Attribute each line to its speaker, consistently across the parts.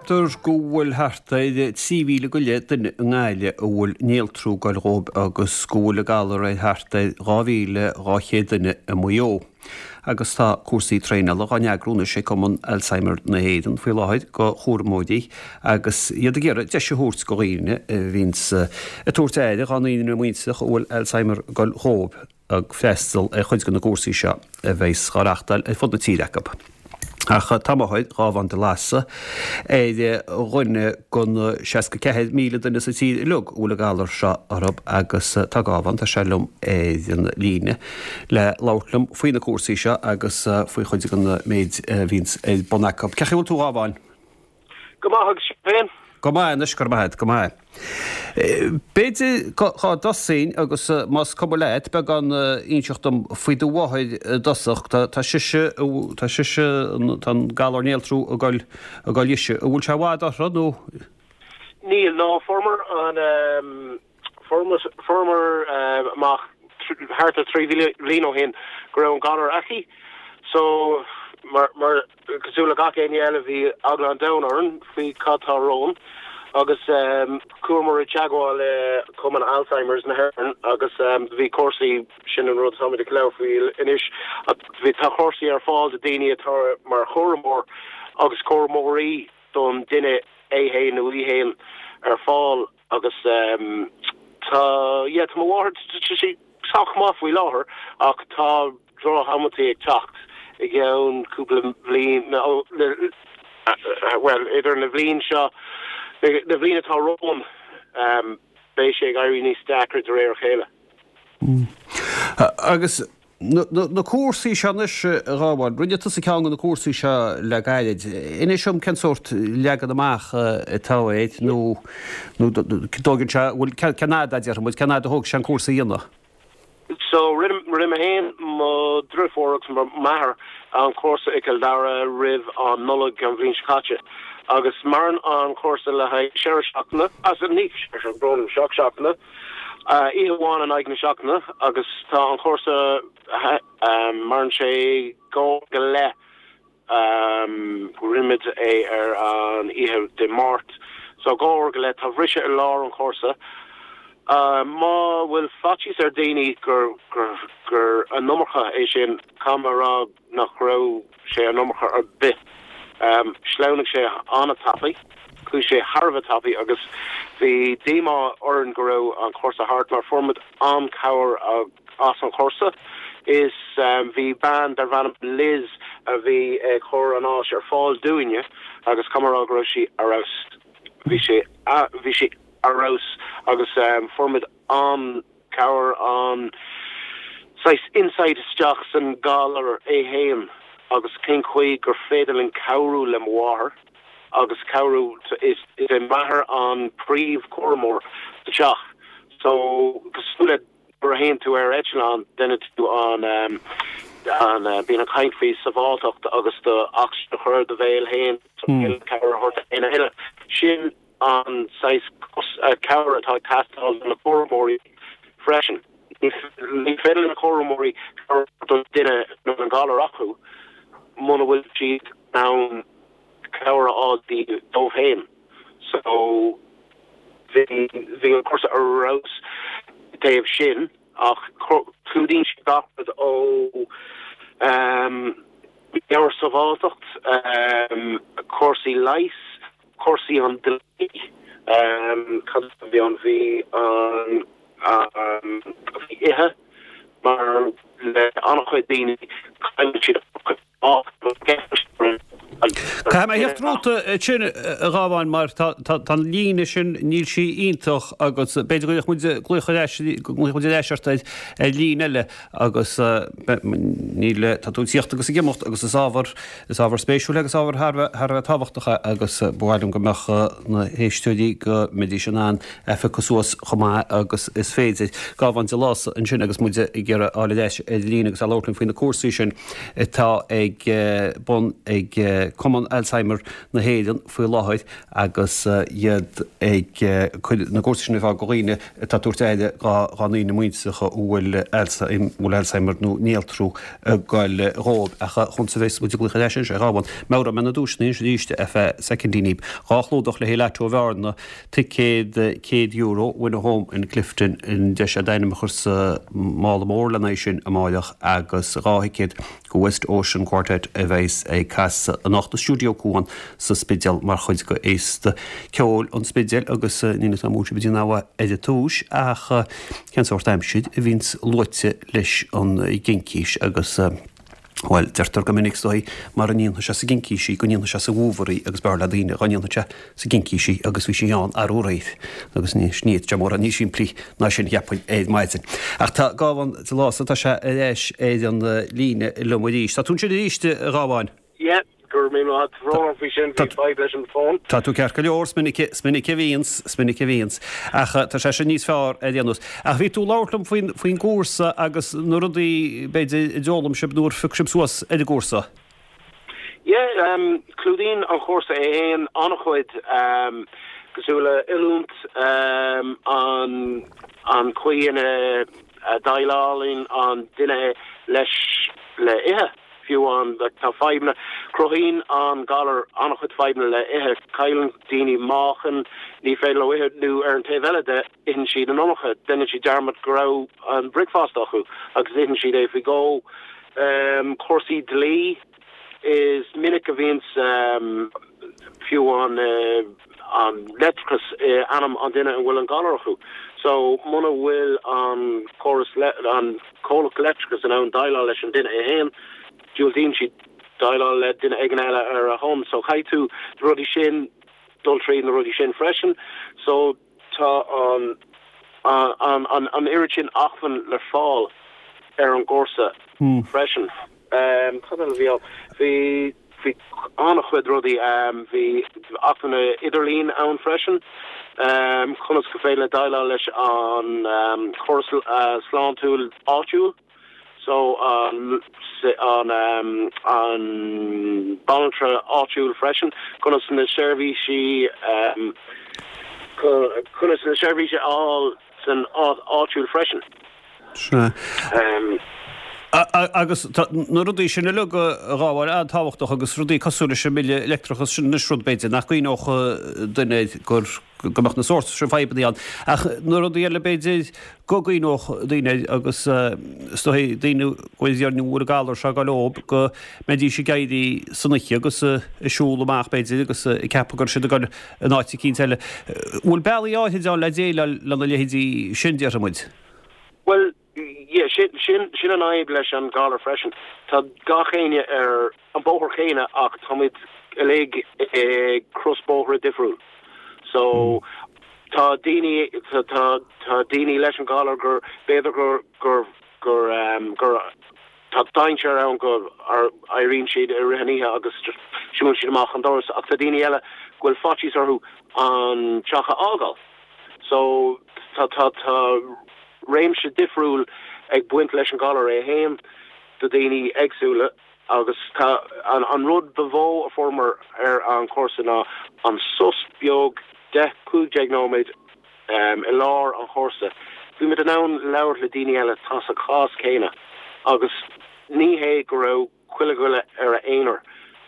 Speaker 1: Ceaptar go bhfuil thart ar 3,000 go leith duine i nGaillimh a bhfuil néaltrú ag goil dhóibh agus go bhfuil an galar ar thart ar 2,200 duine i Maigh Eo. Agus tá cúrsaí traenála dhá n-eagrú anois ag Cumann Alzheimer na hÉireann faoi láthair go chúramóirí agus iad ag iarraidh deis a thabhairt go dhaoine a bhíonns ag tabhairt aire dhá ndaoine muinteartha a bhfuil Alzheimer ag goil dhóibh. ag freastal ar chuid de na cúrsaí seo a bheas á reachtáil ar fud na tíre acu. Ach tá máthair Ghábhán de Lása ar dhuine de na 64,000 duine sa tír uilig a bhfuil an galar seo orthu agus tá Gábhán, tá sé liom ar an líne le labhairt liom faoi na cúrsaí seo agus faoi chuid den méid a bhíonns ar bun acu. Cén chaoi a bhfuil tú a Ghábháin?
Speaker 2: Go maith agus sibh féin?
Speaker 1: Go maith anois, go raibh maith agat, go maith. B'fhéidir cá dtosóinn agus más cuma leat, beagán inseacht dom faoi do mháthair i dtosach. Tá sise, tá sise, tá an galar néaltrú ag goil, ag goil dhise. An bhfuil sé i bhfad uirthi nó?
Speaker 2: Níl, no, fuaireamar an, Fuaireamar amach thart ar 3 bhliain ó shin go raibh an galar aici so mar cosúil le gach éinne eile bhí eagla an domhain orainn faoi cad tá romhainn agus chuamar i dteagmháil le Cumann Alzheimer's na hÉireann agus bhí cúrsaí, sin an rud atáimid ag labhairt faoi anois, bhí tá cúrsaí ar fáil do daoine atá mar chúramóir agus cúramóirí don duine é fhéin nó í fhéin ar fáil. Agus tá, yeah, tá mo mháthair, tá sí sách maith faoi láthair ach tá droch-amantaí ag teacht i gceann cúpla bliain, bhuel, idir na bhliain seo, na bhliain atá romhainn, beidh sé ag éirí níos deacra de réir a chéile.
Speaker 1: Agus Na cúrsaí seo anois, a Ghábháin, rinne tusa ceann de na cúrsaí seo le gairid. Inis dom cén sórt leagan amach atá air nó nó dtógann sé, bhfuil, cén fhad a déarfaidh muid, cén fhad a thóg sé an cúrsa a dhéanamh?
Speaker 2: So, rinne, rinne mé féin, mo dhriofúr agus m'athair an cúrsa i gCill Dara roimh an Nollaig an bhliain seo caite agus maireann an cúrsa le haghaidh ceithre seachtaine, as, ní ceithre, brón orm, seacht seachtaine. Oíche amháin in aghaidh na seachtaine agus tá an cúrsa, maireann sé dhá uair go leith. Rinne muid é ar an oíche Dé Máirt so dhá uair go leith. Tá briseadh i lár an chúrsa. Má bhfuil faitíos ar daoine gur gur an iomarca é sin, caithfidh mé a rá nach raibh sé an iomarca ar bith. Shleamhnaigh sé an-tapaidh, chuaigh sé thar a bheith tapaidh agus bhí díomá orainn go raibh an cúrsa thart mar fuair muid an-cabhair as an chúrsa. Is bhí bean darbh ainm Liz a bhí ag cur an áis ar fáil dúinne agus caithfidh mé a rá go raibh sí ar fheabhas. Bhí sé, bhí sí ar fheabhas agus fuair muid an. cabhair an saghas insight isteach san galar é fhéin agus cén chaoi gur féidir linn cabhrú le mo mháthair agus cabhrú is é m'athair an príomh chúramóir sa teach so cosúil le nuair a théann tú ar eitleán déanann tú an an bíonn an chaint faoi sábháilteacht agus do ocsaigin a chur i do bhéal fhéin cabhair a thabhairt do éinne eile sin an saghas cabhair atá ag teastáil do na cúramóirí freisin. Ní féidir le na cúramóirí cabhair a thabhairt don duine a bhfuil an galar acu muna bhfuil siad in ann cabhair a fháil dóibh féin. So bhí bhí an cúrsa ar fheabhas i dtaobh sin ach clúdaíonn sé gach rud ó meabhairsábháilteacht, cúrsaí leighis, cúrsaí an dlí, cad a bhí ann, bhí an, bhí ithe, mar le an-chuid daoine cailleann siad an-chuid
Speaker 1: Caithfidh mé a theacht romhat ansin, a Ghábháin, mar tá an líne sin, níl sí iontach agus b'fhéidir go gcuirfeadh muid glaoch ar ais, go nglaofaidh muid ar ais ort ar líne eile agus níl, tá tú ag tíocht agus ag imeacht agus is ábhar Is ábhar spéisiúil agus ábhar thar a bheith tábhachtach é agus ba mhaith liom go mbeadh na héisteoirí, go mbeidís in ann é a phiocadh suas chomh maith agus is féidir. Gábhán de Lása ansin agus muid ag iarraidh a fháil ar ais ar líne agus é ag labhairt linn faoi na cúrsaí sin atá ag bun ag. Cumann Alzheimer na hÉireann faoi láthair agus iad ag cur na gcúrsaí sin ar fáil do dhaoine atá ag tabhairt aire dá ndaoine muinteartha a bhfuil Alzheimer nó néaltrú ag goil dhóibh. Ach conas a bheas muid ag glaoch ar ais anois, a Ghabháin? Meabhróidh mé na duaiseanna anois arís ar feadh soicindíní. 2 chlúdach le haghaidh Lató Bhearna, ticéad €100 Win a Home in Clifden, an deis d'ainm a chur sa mála mór lena aghaidh sin amáireach agus 2 thicéad go West Ocean Quartet a bheas ag casadh anocht i Stiúideo Cuan sa Spidéal mar chuid de Fhéasta Ceoil an Spidéil agus níl 'fhios a'm an bhfuil sibh ag déanamh ar an túis ach cén sórt aimsir a bhíonns luaite leis an gCincís agus bhuel deirtear go minic is dóigh mara ndéanfaidh sé sa gCincís í go ndéanfaidh sé sa bhfómhar í agus b'fhearr le daoine dhá ndéanfadh sé sa gCincís í agus bhí sí ann arú aréir agus ní fhéadfadh sé mórán níos simplí ná sin cheapfainn ar maidin. Ach tá Gábhán de Lása, tá sé ar ais ar an líne liom arís. Tá tú ansin arís, a Ghabháin?
Speaker 2: Yeah, go raibh míle maith agat. Brón orm faoi sin, bhí fadhb leis an bhfón.
Speaker 1: Tá tú ceart go leor, is minic, is minic a bhíonns, is minic a bhíonns. Ach tá sé sin níos fearr ar aon nós. Ach bhí tú ag labhairt liom faoin, faoin gcúrsa agus na rudaí, b'fhéidir, a d'fhoghlaim sibh nuair a phioc sibh suas ar an gcúrsa.
Speaker 2: Yeah, clúdaíonn an chúrsa é fhéin an-chuid, cosúil le oiliúint, an an chaoi ina déileálann an duine leis le ithe, fiú amháin, like tá fadhbanna, cruthaíonn an galar an-chuid fadhbanna le ithe, cailleann daoine meáchan, ní féidir leo ithe, nó ar an taobh eile de, itheann siad an iomarca, déanann siad dearmad go raibh an bricfeasta acu agus itheann siad é faoi dhó. Cúrsaí dlí, is minic a bhíonns fiú amháin an leictreachas i ainm an duine a bhfuil an galar acu. So muna bhfuil an córas, an comhlacht leictreachais in ann déileáil leis an duine é fhéin, diúltaíonn siad déileáil le duine éigin eile ar a shon. So caithfidh tú na rudaí sin, dul tríd na rudaí sin freisin. So. Tá an an oiread sin acmhainn le fáil ar an gcúrsa freisin. Cad eile a bhí ann? Bhí bhí an-chuid rudaí. Bhí acmhainn idirlín ann freisin. Conas go féidir le déileáil leis an chóras sláintiúil áitiúil. So an an banaltra áitiúil freisin, conas na seirbhísí conas na seirbhísí a fháil san áit áitiúil freisin.
Speaker 1: Sea. Agus tá na rudaí sin uilig a Ghabháin an-tábhachtach agus rudaí cosúil leis an mbille leictreachais sin anois rud b'fhéidir nach gcuimhneodh duine air gur go mbeadh na sórt sin fadhbanna ann. Ach na rudaí eile b'fhéidir go gcuimhneodh daoine air agus is dóigh daoine go bhfuil an galar seo ag dul leob go mbeidís ag éirí san oíche agus ag siúl amach b'fhéidir agus ag ceapadh go raibh siad ag dul in áit eicínt eile. Bhfuil bealaí áithrid ann le déileáil lena leithéidí sin, déarfaidh muid?
Speaker 2: Bhuel, yeah, sin, sin, sin an fhadhb leis an galar freisin. Tá gach éinne ar an bóthar céanna ach táimid uilig ag cros bóithre difriúil. So tá daoine, tá, tá, tá daoine leis an galar gur, b'fhéidir gur, gur, gur, um, gur tá dainséar ann go éiríonn siad i rith an oíche agus just siúlann siad amach an doras ach tá daoine eile go bhfuil faitíos orthu an teach a fhágáil. So tá, tá, tá réimse difriúil ag baint leis an galar é fhéin do daoine éagsúla agus tá an, an rud ba mhó a fuaireamar ar an chúrsa ná an sos beag 10, 15 nóiméad i lár an chúrsa. Bhí muid in ann labhairt le daoine eile atá sa chás céanna agus ní hé go raibh chuile dhuine ar a aonar.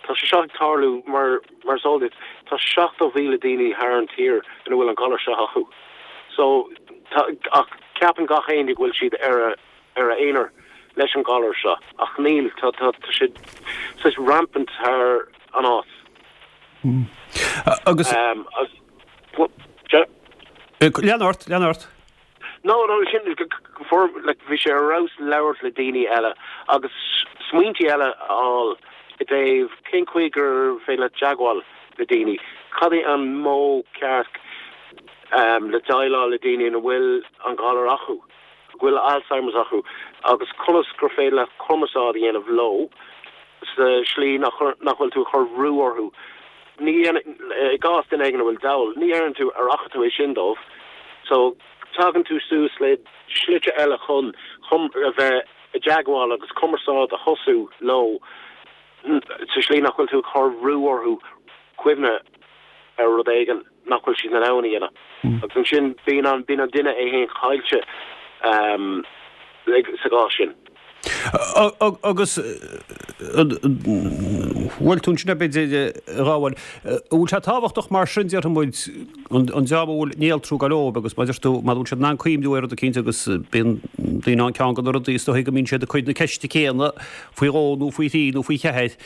Speaker 2: Tá sé seo ag tarlú mar mar is eol duit, tá 70,000 daoine thar an tír ina bhfuil an galar seo acu. So tá ach ceapann gach éinne go bhfuil siad ar a ar a aonar leis an galar seo ach níl, tá tá tá sé saghas rampant thar an áit.
Speaker 1: Agus. Lean ort, lean ort.
Speaker 2: No, no, sin, for, like, bhí sé ar fheabhas labhairt le daoine eile agus smaointí eile a fháil i dtaobh cén chaoi gur féidir leat teagmháil le daoine, cad é an modh ceart le déileáil le daoine ina bhfuil an galar acu, go bhfuil Alzheimer's acu agus conas gur féidir leat cumarsáid a dhéanamh leo sa slí nach nach bhfuil tú ag cur brú orthu. Ní, i gcás duine éigin a bhfuil dall, ní deireann tú ar fhaca tú é sin dóibh. So, tagann tú suas le slite eile chun chun a bheith i dteagmháil agus cumarsáid a thosú leo. Sa slí nach bhfuil tú ag cur brú orthu cuimhneamh ar rud éigin nach bhfuil siad in ann a dhéanamh. Agus ansin bíonn an, bíonn an duine é féin caillte sa gcás sin.
Speaker 1: Agus bhfuil tú ansin, b'fhéidir, a Ghabháin, an bhfuil sé tábhachtach mar sin, déarfaidh muid, an dream a bhfuil néaltrú ag goil dóibh agus mar a deir tú, mura bhfuil siad in ann cuimhniú ar rud eicínt agus bíonn daoine ann ceann de na rudaí is dóichí go mbíonn siad ag cur na ceiste céanna faoi dhó nó faoi thrí nó faoi cheathair,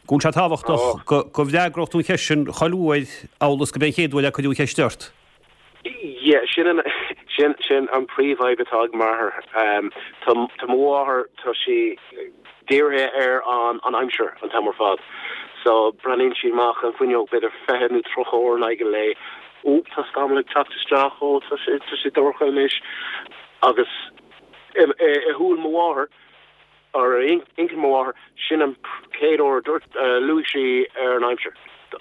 Speaker 1: go bhfuil sé tábhachtach go bhfreagródh tú an cheist sin chuile uair amhail is go b'é an chéad uair a cuireadh an cheist ort.
Speaker 2: Yeah, sin an, sin, sin an príomhfhadhb atá ag m'athair. Tá, tá mo mháthair, tá sí dírithe ar an, an aimsir an t-am ar fad. So, breathnaíonn sí amach an fuinneog b'fhéidir 20 nó 30 uair in aghaidh an lae. Ó, tá scamall ag teacht isteach, ó, tá sé, tá sé dorcha anois. Agus i, i, i shúil mo mháthair, Ar intinn mo mháthar, sin an chéad uair a dúirt, luaigh sí ar an aimsir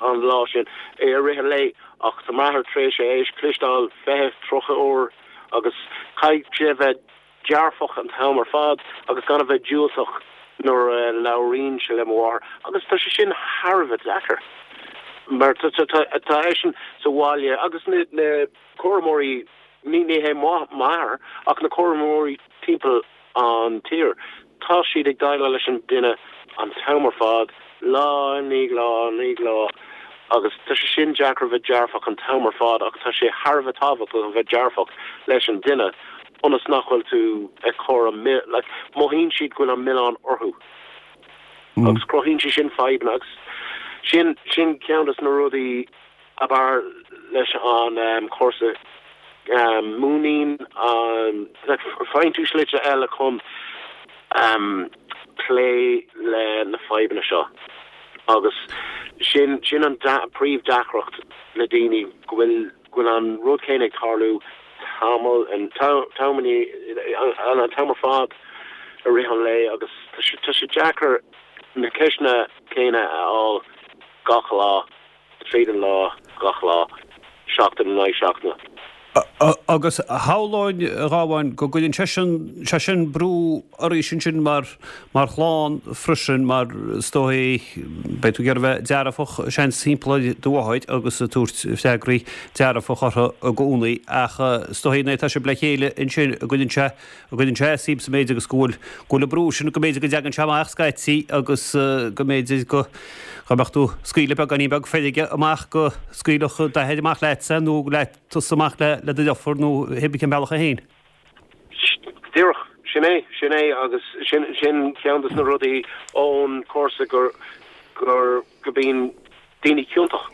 Speaker 2: an lá sin i rith an lae ach tá m'athair tar éis é a chloisteáil 20, 30 uair agus caithfidh sé a bheith dearfach an t-am ar fad agus gan a bheith diúltach nuair a labhraíonn sé le mo mháthair agus tá sé sin thar a bheith deacair mar tá eisean sa bhaile agus na cúramóirí, ní hé m'athair ach na cúramóirí timpeall an tír. Tá siad ag déileáil leis an duine an t-am ar fad, lá i ndiaidh lá i ndiaidh lá, agus tá sé sin deacair a bheith dearfach an t-am ar fad ach tá sé thar a bheith tábhachtach a bheith dearfach leis an duine ionas nach bhfuil tú ag cur an milleán, like, mothaíonn siad go bhfuil an milleán orthu agus cruthaíonn sé sin fadhbanna agus sin, sin ceann de na rudaí ab fhearr leis an chúrsa múineann an faigheann tú slite eile chun plé le na fadhbanna seo agus sin sin an príomh-deacracht le daoine go bhfuil go bhfuil an rud céanna ag tarlú tamall an t-am an t-am ar fad i rith an lae agus tá sé deacair na ceisteanna céanna a fháil gach lá. Tríd an lá, gach lá, seachtain in aghaidh seachtaine.
Speaker 1: Agus shamhlóinn, a Ghabháin, go gcuireann sé sin, sé sin brú oraibhse ansin mar, mar chlann freisin mar is dóigh, beidh tú ag iarraidh a bheith dearfach, seans, timpeall ar do mháthair agus ag tabhairt freagraí dearfacha uirthi i gcónaí ach is dóigh nuair atá sibh le chéile ansin go gcuireann sé, go gcuireann sé as daoibhse b'fhéidir agus go bhfuil go bhfuil an brú sin go mb'fhéidir go dtagann sé amach scaití agus go mb'fhéidir go go mbeadh tú ag scaoileadh beagáinín beag feirge amach go scaoilfeadh d'athair amach leatsa nó leat tusa amach le le do dheirfiúr nó hébrí cén bealach é féin.
Speaker 2: Díreach, sin é, sin é agus sin sin ceann de na rudaí ón chúrsa gur gur go mbíonn daoine ciontach.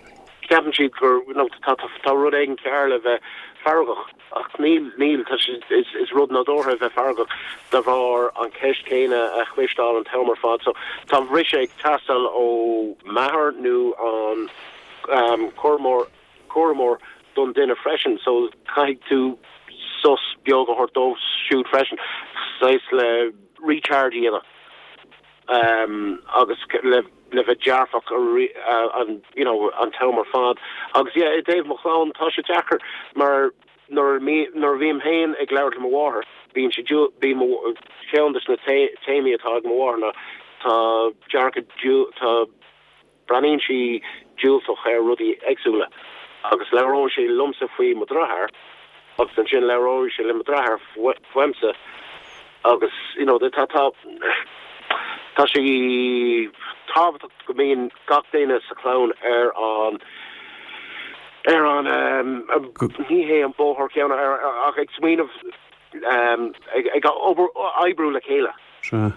Speaker 2: Ceapann siad gur nó tá tá rud éigin cearr le bheith feargach ach níl, níl, tá sé, is is rud nádúrtha a bheith feargach de bharr an cheist chéanna a chloisteáil an t-am ar fad. So tá briseadh ag teastáil ó m'athair nó an cúramóir cúramóir don duine freisin. So caithfidh tú sos beag a thabhairt dóibh siúd freisin, saghas le recharge a dhéanamh agus le le bheith dearfach an you know an t-am ar fad. Agus yeah, i dtaobh mo chlann, tá sé deacair mar nuair nuair a bhím féin ag labhairt le mo mháthair, bíonn sé bíonn mo cheann de na téamaí atá ag mo mháthair ná tá dearcadh tá Breathnaíonn sí diúltach ar rudaí éagsúla agus labhróidh sí liomsa faoi mo dheartháir agus ansin labhróidh sí le mo dheartháir fúmsa agus you know tá tá tá sé tábhachtach go mbíonn gach duine sa chlann ar an ar an ní hé an bóthar céanna ach ag smaoineamh ag ag obair oibriú le chéile.
Speaker 1: Sea.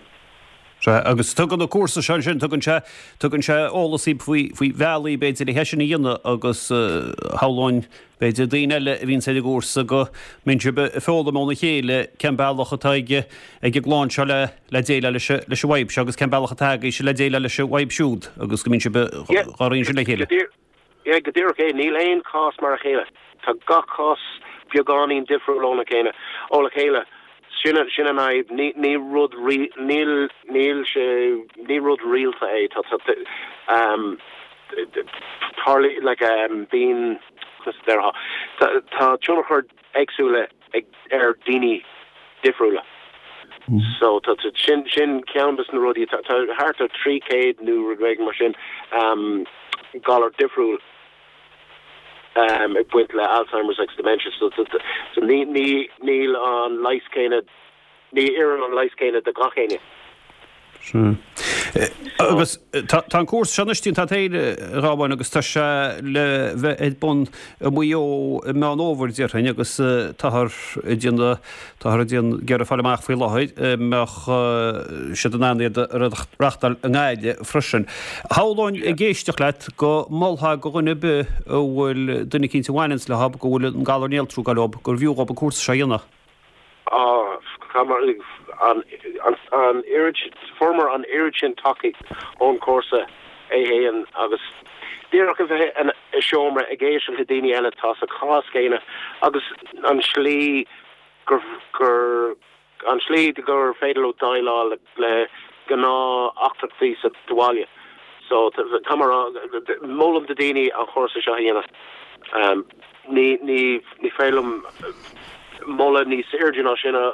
Speaker 1: Sea, agus tugann an cúrsa seo ansin, tugann sé, tugann sé eolas daoibh faoi, faoi bhealaí b'fhéidir le é sin a dhéanamh agus shamhlóinn b'fhéidir daoine eile a bhíonns ar an gcúrsa go mbíonn sibh ag foghlaim óna chéile cén bealach atá ag, ag an gclann seo le, le déileáil leis, leis an bhfadhb seo agus cén bealach atá agaibhse le déileáil leis an bhfadhb siúd agus go mbíonn sibh á roinnt sin le chéile.
Speaker 2: Yeah, go díreach é. Níl aon chás mar a chéile. Tá gach cás beagáinín difriúil óna chéile, ó le chéile. Sin an, sin an fhadhb. Ní, ní rud ri, níl, níl sé, ní rud rialta é. Tá, tá, um, tarlaí, like, um, bíonn, conas a déarfá, tá, tá tionchar éagsúla ag, ar daoine difriúla. So tá sin sin ceann des na rudaí tá thart ar 300 nó rud éigin mar sin galar difriúil ag baint le Alzheimer's agus dementia so so ní ní níl an leigheas céanna ní oireann an leigheas céanna do gach éinne.
Speaker 1: Sea. Agus tá an cúrsa seo anois déanta agat féin, a Ghabháin, agus tá sé le bheith ar bun i Maigh Eo i Meán Fhómhair, déarfainn, agus táthar ag déanamh, táthar ag déanamh, ag iarraidh fáil amach faoi láthair an mbeadh siad in ann iad a reachtáil i nGaillimh freisin. Shamhlóinn ag éisteacht leat go molfá do dhuine ar bith a bhfuil duine eicínt a bhaineanns leo go bhfuil an galar néaltrú ag goil dhób, gurbh fhiú dhób an cúrsa seo a dhéanamh.
Speaker 2: Á, an an oiread, fuaireamar an oiread sin tacaíocht ón chúrsa é fhéin agus díreach a bheith i seomra ag éisteacht le daoine eile atá sa chás céanna agus an slí gur gur an slí gur féidir leo déileáil le gnáth-eachtraí sa bhaile. So tá mé ag rá, molaim do daoine an chúrsa seo a dhéanamh. Ní ní ní féidir liom moladh níos airde ná sin a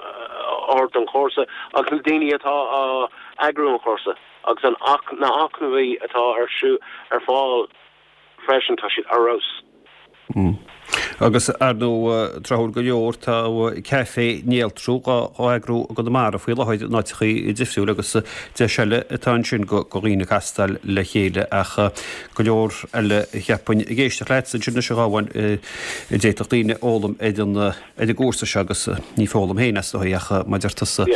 Speaker 2: thabhairt don chúrsa agus na daoine atá á eagrú an chúrsa agus an na hacmhainní atá ar ar fáil freisin, tá siad ar fheabhas.
Speaker 1: Agus ar ndóigh, tráthúil go leor, tá Caife Néaltrú á eagrú i gConamara faoi láthair in áiteachaí difriúil agus deis eile atá ansin do dhaoine castáil le chéile ach go leor eile cheapfainn ag éisteacht leat ansin anois a Ghabháin a d'fhéadfadh daoine a fhoghlaim ar an ar an gcúrsa seo agus ní foghlaim féin as dóigh ach mar a deir tusa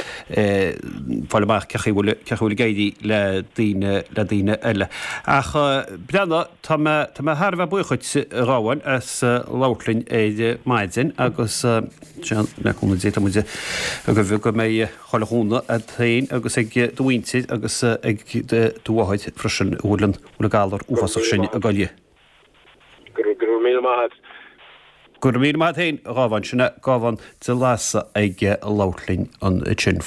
Speaker 1: fáil amach cén chaoi a bhfuil cén chaoi a bhfuil ag éirí le daoine le daoine eile. Ach breathnaigh tá mé tá mé thar a bheith buíoch dhuit a Ghabháin as labhairt linn ar maidin agus le cúnamh Dé tá muid ag guí go mbeidh chuile chúnamh agat féin agus ag do mhuintir agus ag do mháthair freisin a bhfuil an bhfuil an galar uafásach sin ag goil di.
Speaker 2: Go raibh míle maith agat.
Speaker 1: Go raibh míle maith agat féin, a Ghabháin. Sin é Gábhán de Lasa ag labhairt linn ansin.